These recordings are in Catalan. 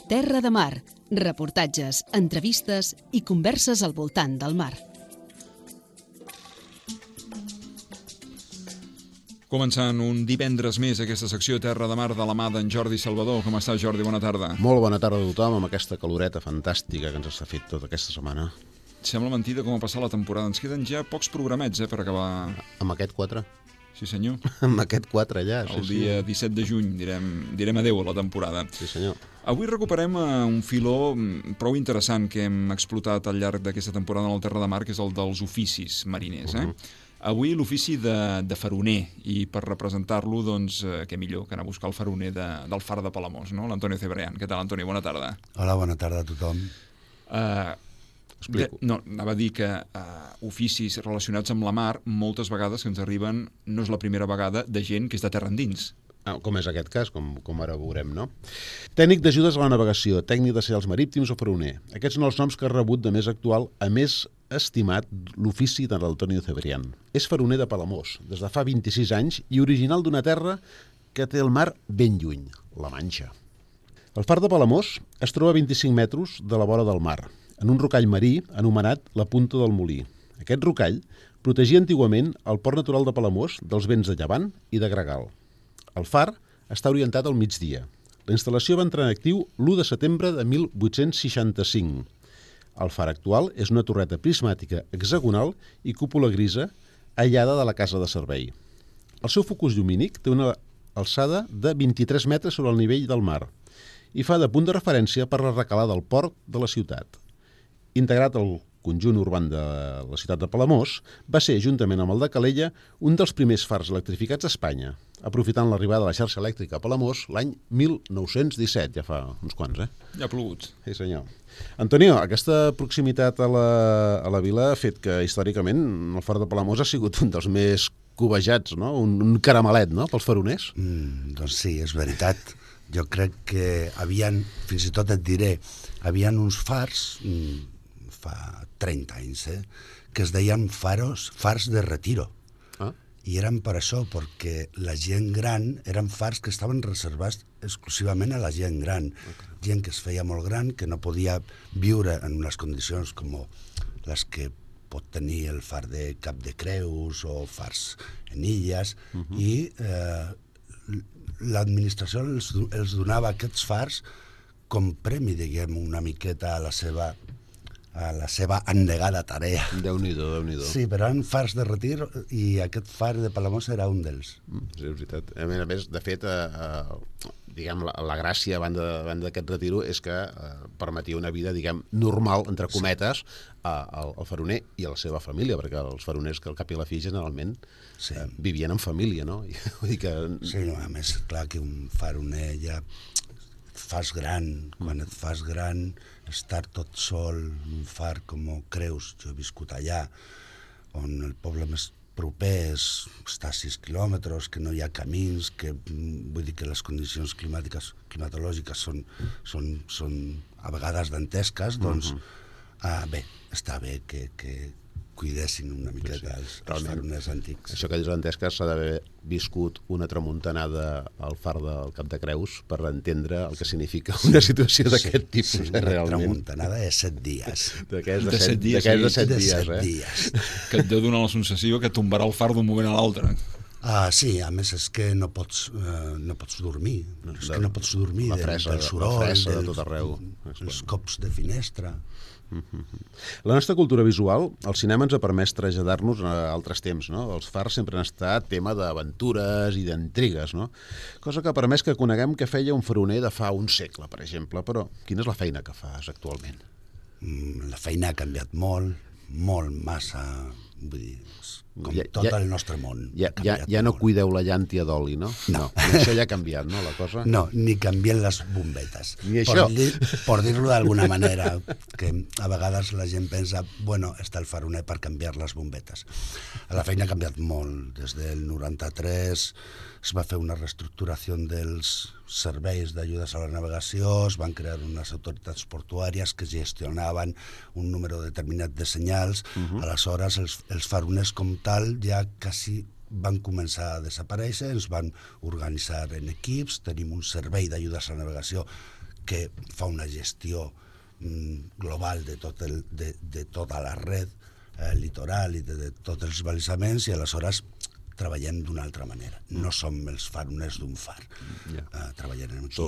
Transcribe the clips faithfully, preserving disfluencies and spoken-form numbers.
Terra de Mar, reportatges, entrevistes i converses al voltant del mar. Començant un divendres més aquesta secció Terra de Mar de la mà d'en Jordi Salvador. Com estàs, Jordi? Bona tarda. Molt bona tarda a tothom amb aquesta caloreta fantàstica que ens s'ha fet tota aquesta setmana. Sembla mentida com ha passat la temporada. Ens queden ja pocs programets eh, per acabar. Amb aquest quatre? Sí, senyor. Amb aquest quatre ja. El sí, dia sí. disset de juny direm, direm adeu a la temporada. Sí, senyor. Avui recuperem un filó prou interessant que hem explotat al llarg d'aquesta temporada en el Terra de Mar, que és el dels oficis mariners. Eh? Uh -huh. Avui l'ofici de, de faroner, i per representar-lo, doncs, eh, què millor que anar a buscar el faroner de, del far de Palamós, no? L'Antonio Cebrián. Què tal, Antonio? Bona tarda. Hola, bona tarda a tothom. Uh, de, no, anava a dir que uh, oficis relacionats amb la mar, moltes vegades que ens arriben, no és la primera vegada, de gent que és de terra endins. Ah, com és aquest cas, com, com ara veurem, no? Tècnic d'ajudes a la navegació, tècnic de senyals marítims o faroner. Aquests són els noms que ha rebut de més actual, a més estimat, l'ofici de l'Antonio Cebrián. És faroner de Palamós, des de fa vint-i-sis anys, i original d'una terra que té el mar ben lluny, la Manxa. El far de Palamós es troba a vint-i-cinc metres de la vora del mar, en un rocall marí anomenat la Punta del Molí. Aquest rocall protegia antigament el port natural de Palamós dels vents de llevant i de gregal. El far està orientat al migdia. La instal·lació va entrar en actiu l'u de setembre de mil vuit-cents seixanta-cinc. El far actual és una torreta prismàtica hexagonal i cúpula grisa aïllada de la casa de servei. El seu focus llumínic té una alçada de vint-i-tres metres sobre el nivell del mar i fa de punt de referència per la recalada del port de la ciutat. Integrat al conjunt urban de la ciutat de Palamós, va ser, juntament amb el de Calella, un dels primers fars electrificats a Espanya, aprofitant l'arribada de la xarxa elèctrica a Palamós l'any mil nou-cents disset, ja fa uns quants, eh? Ja ha plogut. Sí, senyor. Antonio, aquesta proximitat a la, a la vila ha fet que, històricament, el far de Palamós ha sigut un dels més cobejats, no? Un, un caramelet, no?, pels faroners. Mm, doncs sí, és veritat. Jo crec que havien, fins i tot et diré, havien uns fars, mm, fa trenta anys, eh, que es deien faros, fars de retiro. Ah. I eren per això, perquè la gent gran eren fars que estaven reservats exclusivament a la gent gran. Okay. Gent que es feia molt gran, que no podia viure en unes condicions com les que pot tenir el far de Cap de Creus o fars en illes, uh -huh. i eh, l'administració els, els donava aquests fars com premi, diguem, una miqueta a la seva a la seva endegada tarea. Déu-n'hi-do, Déu-n'hi-do. Sí, però eren fars de retir i aquest far de Palamós era un d'ells. Mm, sí, és veritat. A més, a més de fet, eh, eh, diguem, la, la gràcia a banda, a banda d'aquest retiro és que eh, permetia una vida, diguem, normal, entre cometes, sí. a, al, al faroner i a la seva família, perquè els faroners, que al cap i a la fi, generalment, sí. eh, vivien en família, no? I, vull dir que... Sí, no, a més, clar que un faroner ja et fas gran, quan et fas gran, estar tot sol, un far com Creus, jo he viscut allà, on el poble més proper és, està a sis quilòmetres, que no hi ha camins, que vull dir que les condicions climàtiques, climatològiques són, són, són a vegades dantesques, doncs, uh-huh. ah, bé, està bé que, que cuidessin una miqueta sí, sí. els, els faroners antics. Això que dius dantesques s'ha d'haver viscut una tramuntanada al far del Cap de Creus per entendre el que significa una situació sí, d'aquest tipus, sí, eh, realment. Una tramuntanada de set dies. D'aquests de, de set dies, sí. de set de dies, set eh? dies. Que et deu donar la sensació que tombarà el far d'un moment a l'altre. Ah, sí, a més és que no pots, eh, no pots dormir, no, és de, que no pots dormir la fressa, del, del soroll, la fressa de dels, tot arreu. Els cops de finestra. La nostra cultura visual, el cinema ens ha permès traslladar-nos a altres temps, no? Els fars sempre han estat tema d'aventures i d'intrigues, no? Cosa que ha permès que coneguem què feia un faroner de fa un segle, per exemple. Però quina és la feina que fas actualment? La feina ha canviat molt, molt, massa, vull dir, com ja, tot ja, el nostre món. Ja, ja, ja no cuideu la llàntia d'oli, no? No. no. Això ja ha canviat, no, la cosa? No, ni canvien les bombetes. Ni això. Per, dir, per dir-lo d'alguna manera, que a vegades la gent pensa, bueno, està el faroner per canviar les bombetes. La feina ha canviat molt. Des del noranta-tres es va fer una reestructuració dels serveis d'ajudes a la navegació, es van crear unes autoritats portuàries que gestionaven un número determinat de senyals. Uh-huh. Aleshores, els, els faroners com tal ja quasi van començar a desaparèixer, ens van organitzar en equips, tenim un servei d'ajudes a la navegació que fa una gestió mm, global de, tot el, de, de tota la red eh, litoral i de, de tots els balisaments, i aleshores treballem d'una altra manera. No som els faroners d'un far. Yeah. Uh, treballem aquí so,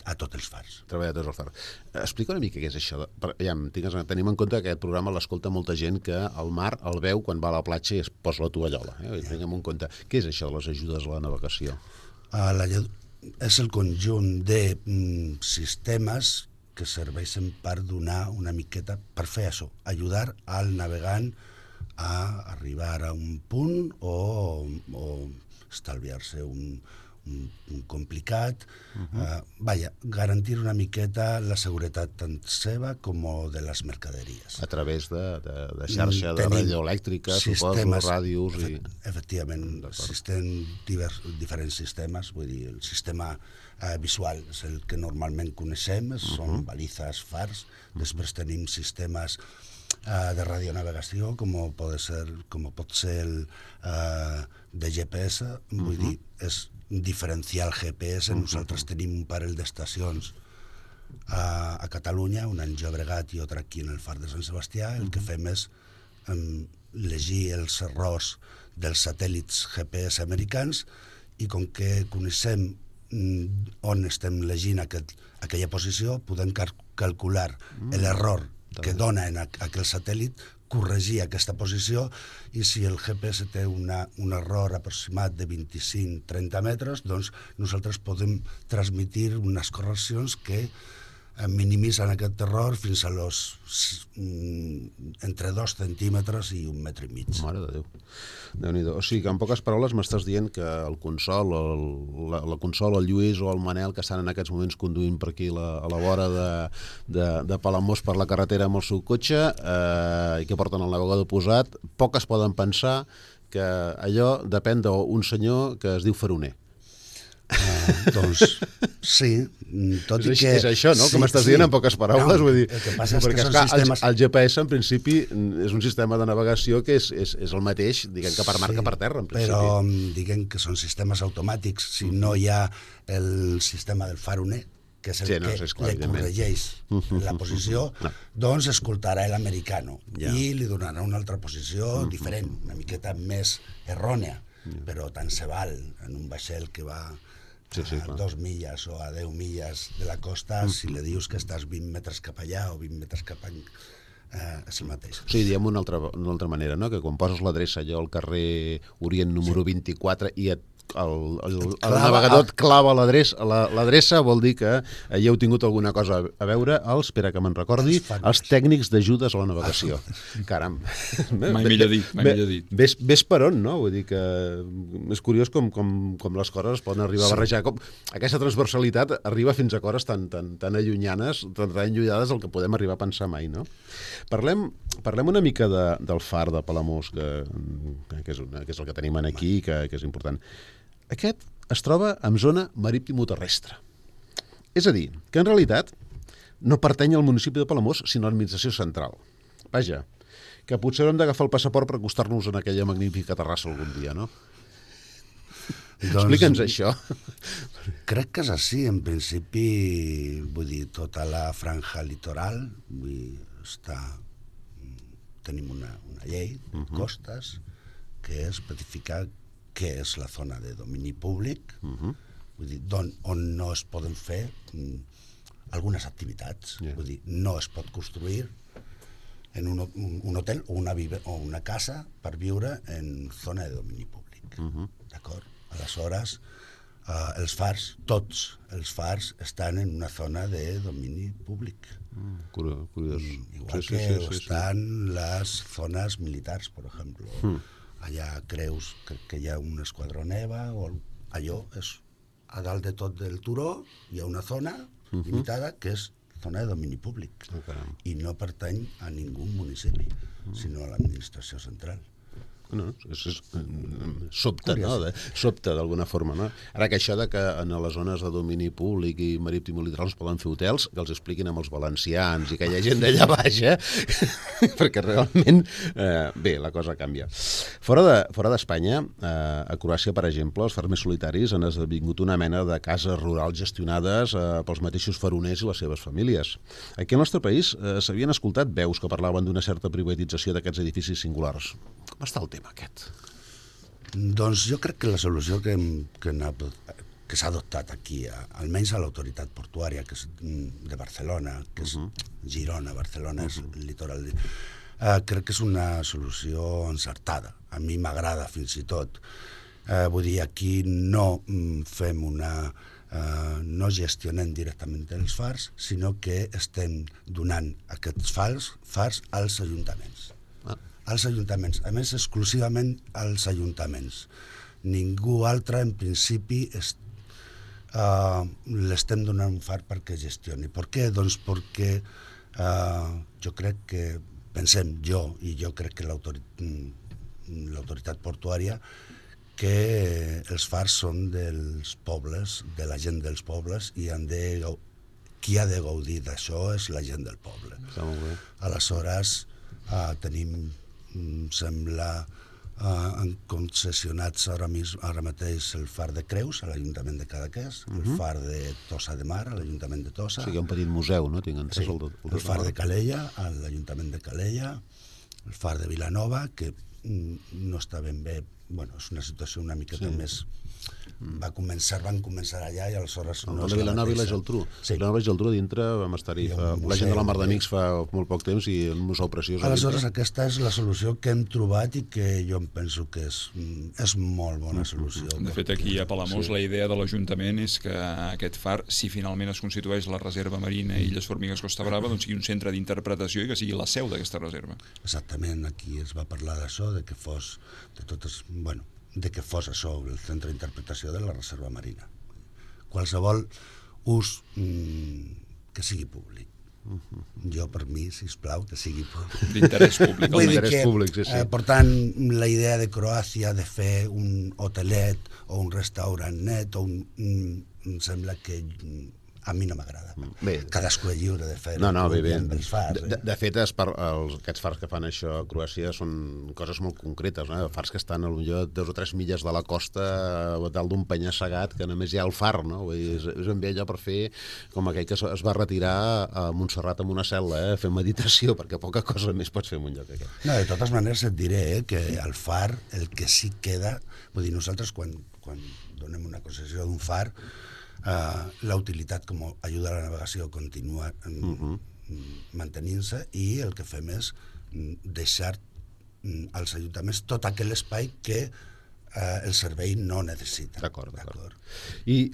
a tots els fars. Treballar a tots els fars. Explica una mica què és això. De... Per, ja, tingues, tenim en compte que aquest programa l'escolta molta gent que al mar el veu quan va a la platja i es posa la tovallola. Eh? Yeah. Tinguem en compte. Què és això de les ajudes a la navegació? Uh, la, és el conjunt de mm, sistemes que serveixen per donar una miqueta, per fer això, ajudar al navegant a arribar a un punt o, o estalviar-se un, un, un complicat. Uh-huh. uh, vaja, garantir una miqueta la seguretat tant seva com de les mercaderies. A través de, de, de xarxa de radioelèctrica, suposo, ràdios... I... Efectivament, existen divers, diferents sistemes, vull dir, el sistema eh, visual és el que normalment coneixem, uh-huh. són balizes, fars, uh-huh. després tenim sistemes de radionavegació, com pot ser, com pot ser el uh, de G P S, vull uh-huh. dir, és un diferencial G P S. Uh-huh. Nosaltres tenim un parell d'estacions a, a Catalunya, una en Llobregat i altra aquí en el Far de Sant Sebastià. El uh-huh. que fem és um, llegir els errors dels satèl·lits G P S americans, i com que coneixem um, on estem llegint aquest, aquella posició, podem cal- calcular uh-huh. l'error que dona en aquell satèl·lit, corregir aquesta posició, i si el G P S té una, un error aproximat de vint-i-cinc a trenta metres, doncs nosaltres podem transmitir unes correccions que minimitzen aquest error fins a los mm, entre dos centímetres i un metre i mig. Mare de Déu. Déu-n'hi-do. O sigui que en poques paraules m'estàs dient que el Consol, el, la, la Consol, el Lluís o el Manel, que estan en aquests moments conduint per aquí la, a la vora de, de, de Palamós per la carretera amb el seu cotxe eh, i que porten el navegador posat, poques poden pensar que allò depèn d'un senyor que es diu Faroner. Uh, doncs sí, tot és, i que... És això, no? Sí, que m'estàs sí. dient en poques paraules. No, vull dir, el que passa és perquè, que són esclar, sistemes... el, el G P S, en principi, és un sistema de navegació que és, és, és el mateix, diguem que per mar sí, que per terra, en principi. Però diguem que són sistemes automàtics. Si no hi ha el sistema del faroner, que és el sí, no, que és clar, li corregeix la posició, no. doncs escoltarà l'americano ja. i li donarà una altra posició uh-huh. diferent, una miqueta més errònia, ja. però tant se val en un vaixell que va... Sí, sí, a dos milles o a deu milles de la costa, mm. si li dius que estàs vint metres cap allà o vint metres cap allà, eh, és el mateix. O sigui, diem una altra, una altra manera, no? Que quan poses l'adreça allò al carrer Orient número sí. vint-i-quatre i et el, el, el clava, navegador et clava l'adreça, l'adreça vol dir que hi heu tingut alguna cosa a veure, els, espera que me'n recordi, els, els tècnics d'ajudes a la navegació. Caram. Mai millor dit, mai millor dit. Ves, ves per on, no? Vull dir que és curiós com, com, com les coses es poden arribar a barrejar. Com, aquesta transversalitat arriba fins a coses tan, tan, tan allunyanes, tan, tan allunyades el que podem arribar a pensar mai, no? Parlem, parlem una mica de, del far de Palamós, que, que, és una, que és el que tenim aquí, que, que és important. Aquest es troba en zona marítim-terrestre. És a dir, que en realitat no pertany al municipi de Palamós, sinó a l'administració central. Vaja, que potser haurem d'agafar el passaport per acostar-nos en aquella magnífica terrassa algun dia, no? Doncs, explica'ns això. Crec que és així, en principi, vull dir, tota la franja litoral, vull dir, està... tenim una, una llei de uh-huh. costes que especifica què és la zona de domini públic, uh-huh. vull dir, don, on no es poden fer mm, algunes activitats. Yeah. Vull dir, no es pot construir en un, un, un hotel o una, vive, o una casa per viure en zona de domini públic. Uh-huh. D'acord? Aleshores, eh, els fars, tots els fars estan en una zona de domini públic. Mm, curiós. Igual sí, que sí, sí, estan sí. les zones militars, per exemple. Mm. Allà creus que, que hi ha un esquadró neva, o allò és a dalt de tot del turó, hi ha una zona uh-huh. limitada que és zona de domini públic oh, i no pertany a ningú municipi, uh-huh. sinó a l'administració central. No, és, és, sobta, no? De, sobta d'alguna forma, no? Ara que això de que en les zones de domini públic i marítim i litoral es poden fer hotels, que els expliquin amb els valencians i que hi ha gent d'allà baix, eh? Perquè realment, eh, bé, la cosa canvia. Fora de, fora d'Espanya, eh, a Croàcia, per exemple, els fars més solitaris han esdevingut una mena de cases rurals gestionades eh, pels mateixos faroners i les seves famílies. Aquí al nostre país eh, s'havien escoltat veus que parlaven d'una certa privatització d'aquests edificis singulars. Com està el tema aquest? Doncs jo crec que la solució que, que, que s'ha adoptat aquí, almenys a l'autoritat portuària, que és de Barcelona, que és uh -huh. Girona, Barcelona, uh -huh. és el litoral, eh, crec que és una solució encertada. A mi m'agrada fins i tot. Eh, vull dir, aquí no fem una... Uh, no gestionem directament els fars, sinó que estem donant aquests fars, fars als ajuntaments. Ah. Als ajuntaments, a més exclusivament als ajuntaments. Ningú altre en principi es, uh, l'estem donant un far perquè gestioni. Per què? Doncs perquè uh, jo crec que, pensem jo, i jo crec que l'autoritat, l'autoritat portuària, que els fars són dels pobles, de la gent dels pobles, i han de, qui ha de gaudir d'això és la gent del poble. Està molt bé. Aleshores, uh, tenim, sembla, uh, concessionats ara, mis, ara mateix el far de Creus, a l'Ajuntament de Cadaqués, uh-huh. el far de Tossa de Mar, a l'Ajuntament de Tossa. O sigui, un petit museu, no? Tinc entès, sí, el, el, el far de Calella, a l'Ajuntament de Calella, el far de Vilanova, que no està ben bé. Bueno, és una situació una miqueta sí. més... Va començar, van començar allà i aleshores... El no de Vilanova i la Geltrú. Sí. Vilanova i Geltrú dintre vam estar-hi. La gent de la Mar d'Amics fa molt poc temps i un museu preciós. Aleshores, aquesta és la solució que hem trobat i que jo em penso que és, és molt bona solució. De fet, aquí a Palamós sí. la idea de l'Ajuntament és que aquest far, si finalment es constitueix la reserva marina Illes Formigues Costa Brava, doncs sigui un centre d'interpretació i que sigui la seu d'aquesta reserva. Exactament, aquí es va parlar d'això, de que fos de totes... Bueno, de que fos això, el centre d'interpretació de la reserva marina. Qualsevol ús mmm, que sigui públic. Uh-huh. Jo, per mi, sisplau, que sigui públic. D'interès públic. D'interès públic, sí, sí. Eh, per tant, la idea de Croàcia de fer un hotelet o un restaurant net, o un, mm, em sembla que a mi no m'agrada. Bé, cadascú és lliure de fer no, no, bé, bé. Fars, eh? de, de fet, es par, els, aquests fars que fan això a Croàcia són coses molt concretes, no? Fars que estan potser dos o tres milles de la costa, a dalt d'un penya-segat, que només hi ha el far, no? Vull dir, és, és ben bé allò per fer com aquell que es va retirar a Montserrat amb una cel·la, eh? A fer meditació, perquè poca cosa més pots fer en un lloc aquest. No, de totes maneres et diré eh, que el far, el que sí queda, vull dir, nosaltres quan, quan donem una concessió d'un far, Uh, la utilitat com a ajuda a la navegació continua um, uh-huh. mantenint-se, i el que fem és um, deixar um, als ajuntaments tot aquell espai que uh, el servei no necessita. D'acord, d'acord. I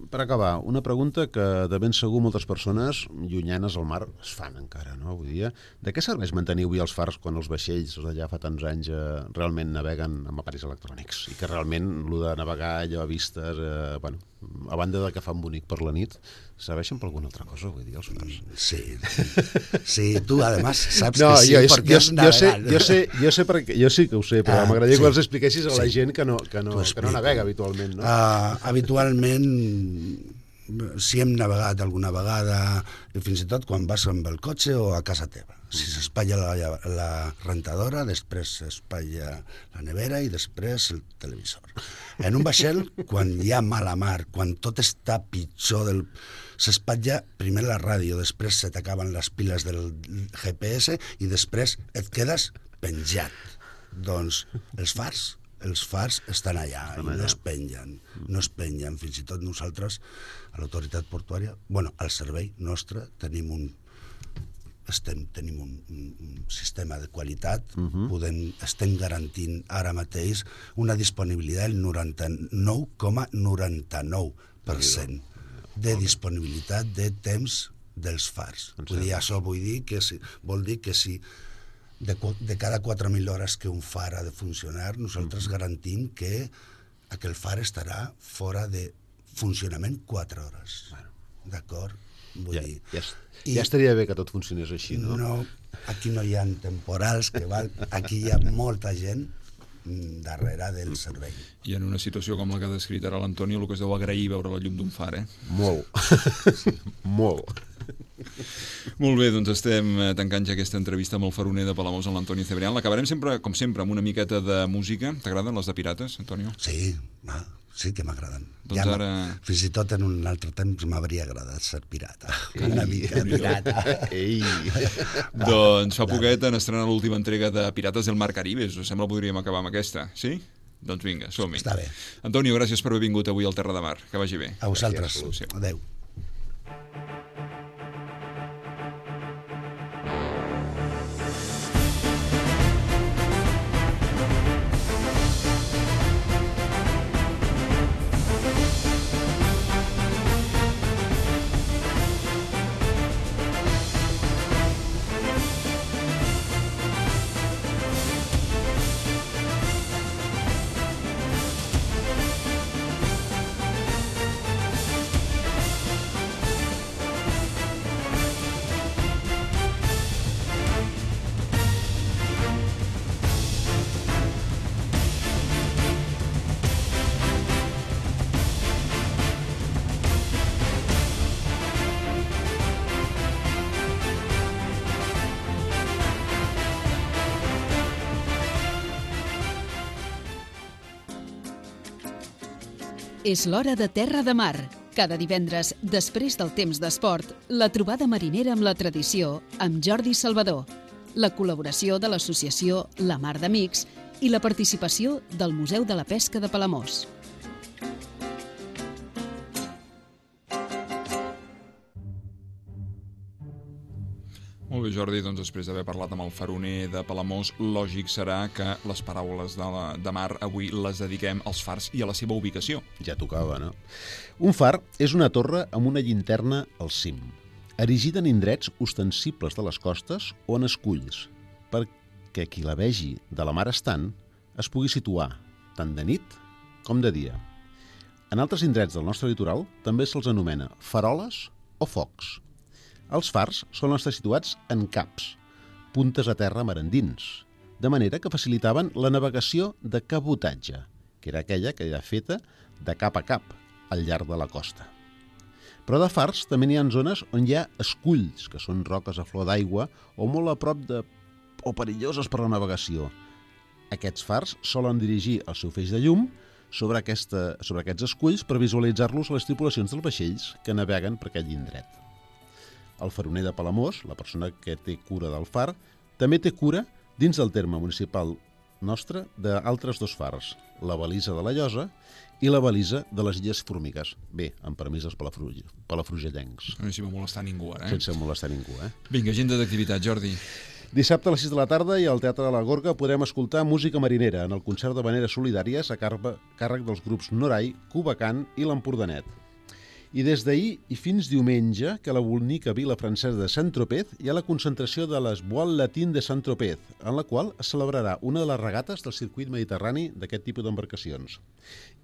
per acabar, una pregunta que de ben segur moltes persones llunyanes al mar es fan encara, no? Avui dia. De què serveix mantenir avui els fars quan els vaixells d'allà fa tants anys eh, realment naveguen amb aparells electrònics? I que realment el de navegar allò a vistes, eh, bueno, a banda de que fan bonic per la nit, serveixen per alguna altra cosa, vull dir, els fars? Sí, sí, tu además saps no, que sí, jo, perquè jo, jo, sé, jo, sé, jo, sé perquè, jo sí que ho sé, però ah, m'agradaria sí, que els expliquessis a la sí. gent que no, que no, que no navega habitualment, no? Uh, habitualment, si hem navegat alguna vegada, fins i tot quan vas amb el cotxe o a casa teva. Si s'espatlla la, la rentadora, després s'espatlla la nevera i després el televisor. En un vaixell, quan hi ha mala mar, quan tot està pitjor, del... s'espatlla primer la ràdio, després se t'acaben les piles del G P S i després et quedes penjat. Doncs els fars, els fars estan allà i no es pengen, no es pengen. Fins i tot nosaltres, a l'autoritat portuària, bueno, al servei nostre, tenim un Estem, tenim un, un, un sistema de qualitat, uh-huh. podem, estem garantint ara mateix una disponibilitat del noranta-nou coma noranta-nou per cent de disponibilitat de temps dels fars. Vull dir, això vull dir que si, vol dir que si de, de cada quatre mil hores que un far ha de funcionar, nosaltres uh-huh. garantim que aquell far estarà fora de funcionament quatre hores. Bueno. D'acord? Vull ja, dir... Ja, ja estaria bé que tot funcionés així, no? No, aquí no hi ha temporals, que val, aquí hi ha molta gent darrere del servei. I en una situació com la que ha descrit ara l'Antonio, el que es deu agrair veure la llum d'un far, eh? Molt. Molt. Molt bé, doncs estem tancant ja aquesta entrevista amb el faroner de Palamós, en l'Antonio Cebrián. L'acabarem sempre, com sempre, amb una miqueta de música. T'agraden les de Pirates, Antonio? Sí, va, sí que m'agraden. Doncs ja ara... Fins i tot en un altre temps m'hauria agradat ser pirata. Ei, una mica pirata. Ei. Doncs fa poquet han estrenat l'última entrega de Pirates del Mar Caribe. Us sembla que podríem acabar amb aquesta, sí? Doncs vinga, som-hi. Està bé. Antonio, gràcies per haver vingut avui al Terra de Mar. Que vagi bé. A vosaltres. Adéu. És l'hora de Terra de Mar. Cada divendres, després del temps d'esport, la trobada marinera amb la tradició amb Jordi Salvador, la col·laboració de l'associació La Mar d'Amics i la participació del Museu de la Pesca de Palamós. Molt bé, Jordi, doncs després d'haver parlat amb el faroner de Palamós, lògic serà que les paraules de, la, de mar avui les dediquem als fars i a la seva ubicació. Ja tocava, no? Un far és una torre amb una llinterna al cim, erigida en indrets ostensibles de les costes o en esculls, perquè qui la vegi de la mar estant es pugui situar tant de nit com de dia. En altres indrets del nostre litoral també se'ls anomena faroles o focs. Els fars solen estar situats en caps, puntes a terra mar endins, de manera que facilitaven la navegació de cabotatge, que era aquella que era feta de cap a cap al llarg de la costa. Però de fars també n'hi ha zones on hi ha esculls, que són roques a flor d'aigua o molt a prop de... o perilloses per la navegació. Aquests fars solen dirigir el seu feix de llum sobre, aquesta... sobre aquests esculls per visualitzar-los a les tripulacions dels vaixells que naveguen per aquell indret. El faroner de Palamós, la persona que té cura del far, també té cura, dins del terme municipal nostre, d'altres dos fars, la balisa de la Llosa i la balisa de les Illes Formigues. Bé, amb permís dels palafrugellencs. No sé si va molestar ningú ara, eh? Sense molestar ningú, eh? Vinga, agenda d'activitat, Jordi. Dissabte a les sis de la tarda i al Teatre de la Gorga podrem escoltar música marinera en el concert de Veneres Solidàries a càrrec dels grups Norai, Cubacant i l'Empordanet. I des d'ahir i fins diumenge, que a la bonica vila francesa de Saint-Tropez hi ha la concentració de les Voile Latine de Saint-Tropez, en la qual es celebrarà una de les regates del circuit mediterrani d'aquest tipus d'embarcacions.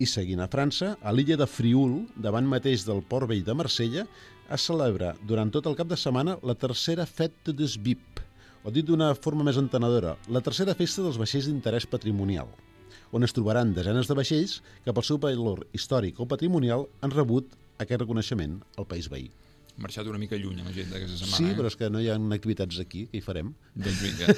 I seguint a França, a l'illa de Frioul, davant mateix del Port Vell de Marsella, es celebra durant tot el cap de setmana la tercera Fête des Bips, o dit d'una forma més entenedora, la tercera festa dels vaixells d'interès patrimonial, on es trobaran desenes de vaixells que pel seu valor històric o patrimonial han rebut aquest reconeixement al país veí. Hem marxat una mica lluny a l'agenda aquesta setmana. Sí, eh? però és que no hi ha activitats aquí, que hi farem. Doncs vinga.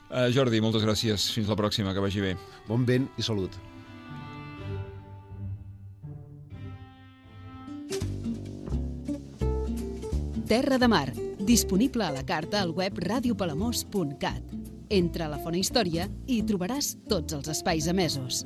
uh, Jordi, moltes gràcies. Fins la pròxima, que vagi bé. Bon vent i salut. Terra de Mar, disponible a la carta al web radio palamós punt cat. Entra a la Fona Història i hi trobaràs tots els espais emesos.